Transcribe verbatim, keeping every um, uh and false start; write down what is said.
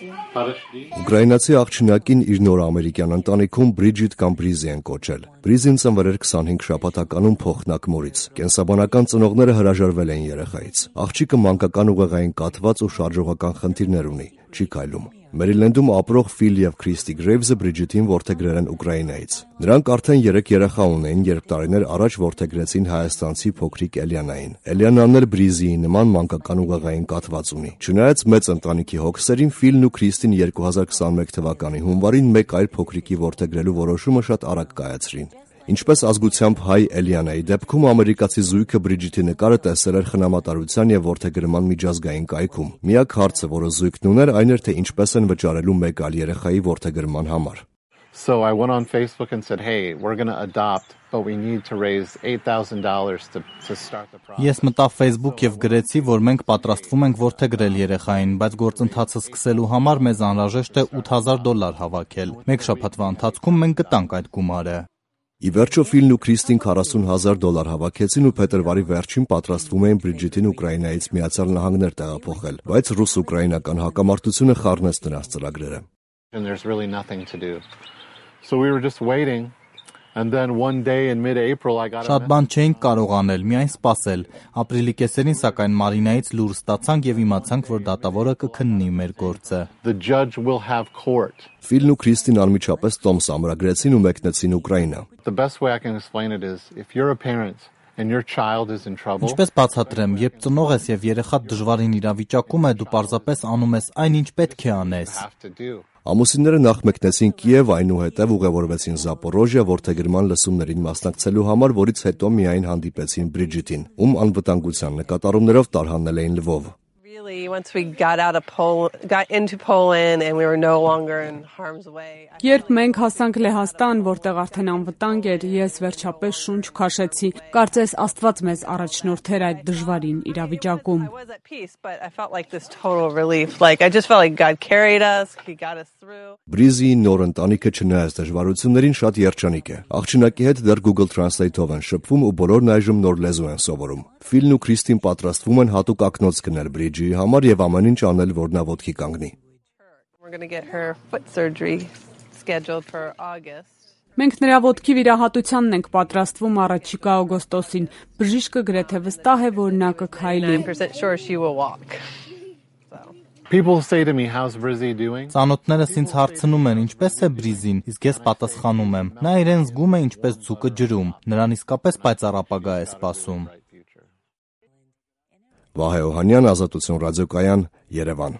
Ուկրաինացի աղջնակին իր նոր ամերիկյան ընտանիքում Բրիջիտ կամ Բրիզի են կոչել։ Բրիզին ծնվել էր քսանհինգ շաբաթականում փոխնակ մորից։ Կենսաբանական ծնողները հրաժարվել են երեխայից։ Աղջիկը մանկական ուղեղային կաթված ու շարժողական խնդիրներ ունի, չի քայլում։ Մերիլենդում ապրող Ֆիլ և Քրիստի Գրեյվզը Բրիջիտին որդեգրել են Ուկրաինայից։ Նրանք արդեն երեք երեխա ունեին, երբ տարիներ առաջ որդեգրեցին հայաստանցի փոքրիկ Էլիանային։ Էլիանան էլ Բրիզիի նման մանկական ուղեղային կաթված ունի։ Չնայած մեծ ընտանիքի հոգսերին, Ֆիլն ու Քրիստին երկու հազար քսաներկու թվականի հունվարին մեկ այլ փոքրիկի որդեգրելու որոշումը շատ արագ կայացրին։ Ինչպես ազգությամբ հայ Էլիանայի դեպքում ամերիկացի զույգը Բրիջիտի նկարը տեսել էր խնամատարության և որդեգրման միջազգային կայքում։ Միակ հարցը, որը զույգն ուներ, այն էր, թե ինչպես են վճարելու մեկ այլ երեխայի որդեգրման համար։ So I went on Facebook and said, "Hey, we're going to adopt, but we need to raise eight thousand dollars to to start the process." Ես մտա Facebook եւ գրեցի, որ մենք պատրաստվում ենք որդեգրել երեխային, բայց գործընթացը սկսելու համար մեզ անհրաժեշտ է ութ հազար դոլար հավաքել։ Մեկ շաբաթվա ընթացքում մենք գտանք այդ գումարը։ Ի վերջո Ֆիլն ու Քրիստին քառասուն հազար դոլար հավաքեցին ու փետրվարի վերջին պատրաստվում էին Բրիջիտին Ուկրաինայից Միացյալ Նահանգներ տեղափոխել, բայց ռուս-ուկրաինական հակամարտությունը խառնեց նրանց ծրագրերը։ And there's really nothing to do. So we were just waiting, and then one day in mid-April I got a Շատ բան չէինք կարող անել, միայն սպասել։ Ապրիլի կեսերին սակայն Մարինայից լուր ստացանք եւ իմացանք, որ դատավորը կքննի մեր գործը։ The judge will have court. Ֆիլն ու Քրիստին անմիջապես տոմս ամրագրեցին ու մեկնեցին Ուկրաինա։ The best way I can explain it is if you're a parent and your child is in trouble. Ինչպես բացատրեմ, երբ ծնող ես եւ երեխադ դժվարին իրավիճակում է, դու պարզապես անում ես այն, ինչ պետք է անես։ Ամուսինները նախ մեկնեցին Կիև, այնուհետև ուղևորվեցին Զապորոժիա որդեգրման լսումներին մասնակցելու համար, որից հետո միայն հանդիպեցին Բրիջիտին, ում անվտանգության նկատառումներով տարհանել էին Լվով։ Once we got out of Pol got into Poland and we were no longer in harm's way. Երբ մենք հասանք Լեհաստան, որտեղ արդեն անվտանգ էր, ես վերջապես շունչ քաշեցի։ Կարծես Աստված մեզ առաջնորդեր այդ դժվարին իրավիճակում։ I was at peace, but I felt like this total relief. Like I just felt like God carried us, he got us through. Բրիզիի նոր ընտանիքը չնայած դժվարություններին շատ երջանիկ է։ Աղջնակի հետ դեռ Google Translate-ով են շփվում ու բոլորն այժմ նոր լեզու են սովորում։ Ֆիլն ու Քրիստին պատրաստվում են հատուկ ակնոց գնել Բրիջիի համար եւ ամեն ինչ անել, որ նա ոտքի կանգնի։ We're going to get her foot surgery scheduled for August. Մենք նրա ոտքի վիրահատությանն ենք պատրաստվում առաջիկա օգոստոսին։ Բժիշկը գրեթե վստահ է, որ նա կքայլի։ ninety percent sure she will walk. People say to me, how's Brizzy doing? Ծանոթներս ինձ հարցնում են, ինչպես է Բրիզին, իսկ ես պատասխանում եմ։ Նա իրեն զգում է ինչպես ձուկը ջրում։ Նրան իսկապես պայծառ ապագա է սպասում։ Վահե Օհանյան, Ազատություն ռադիոկայան, Երևան։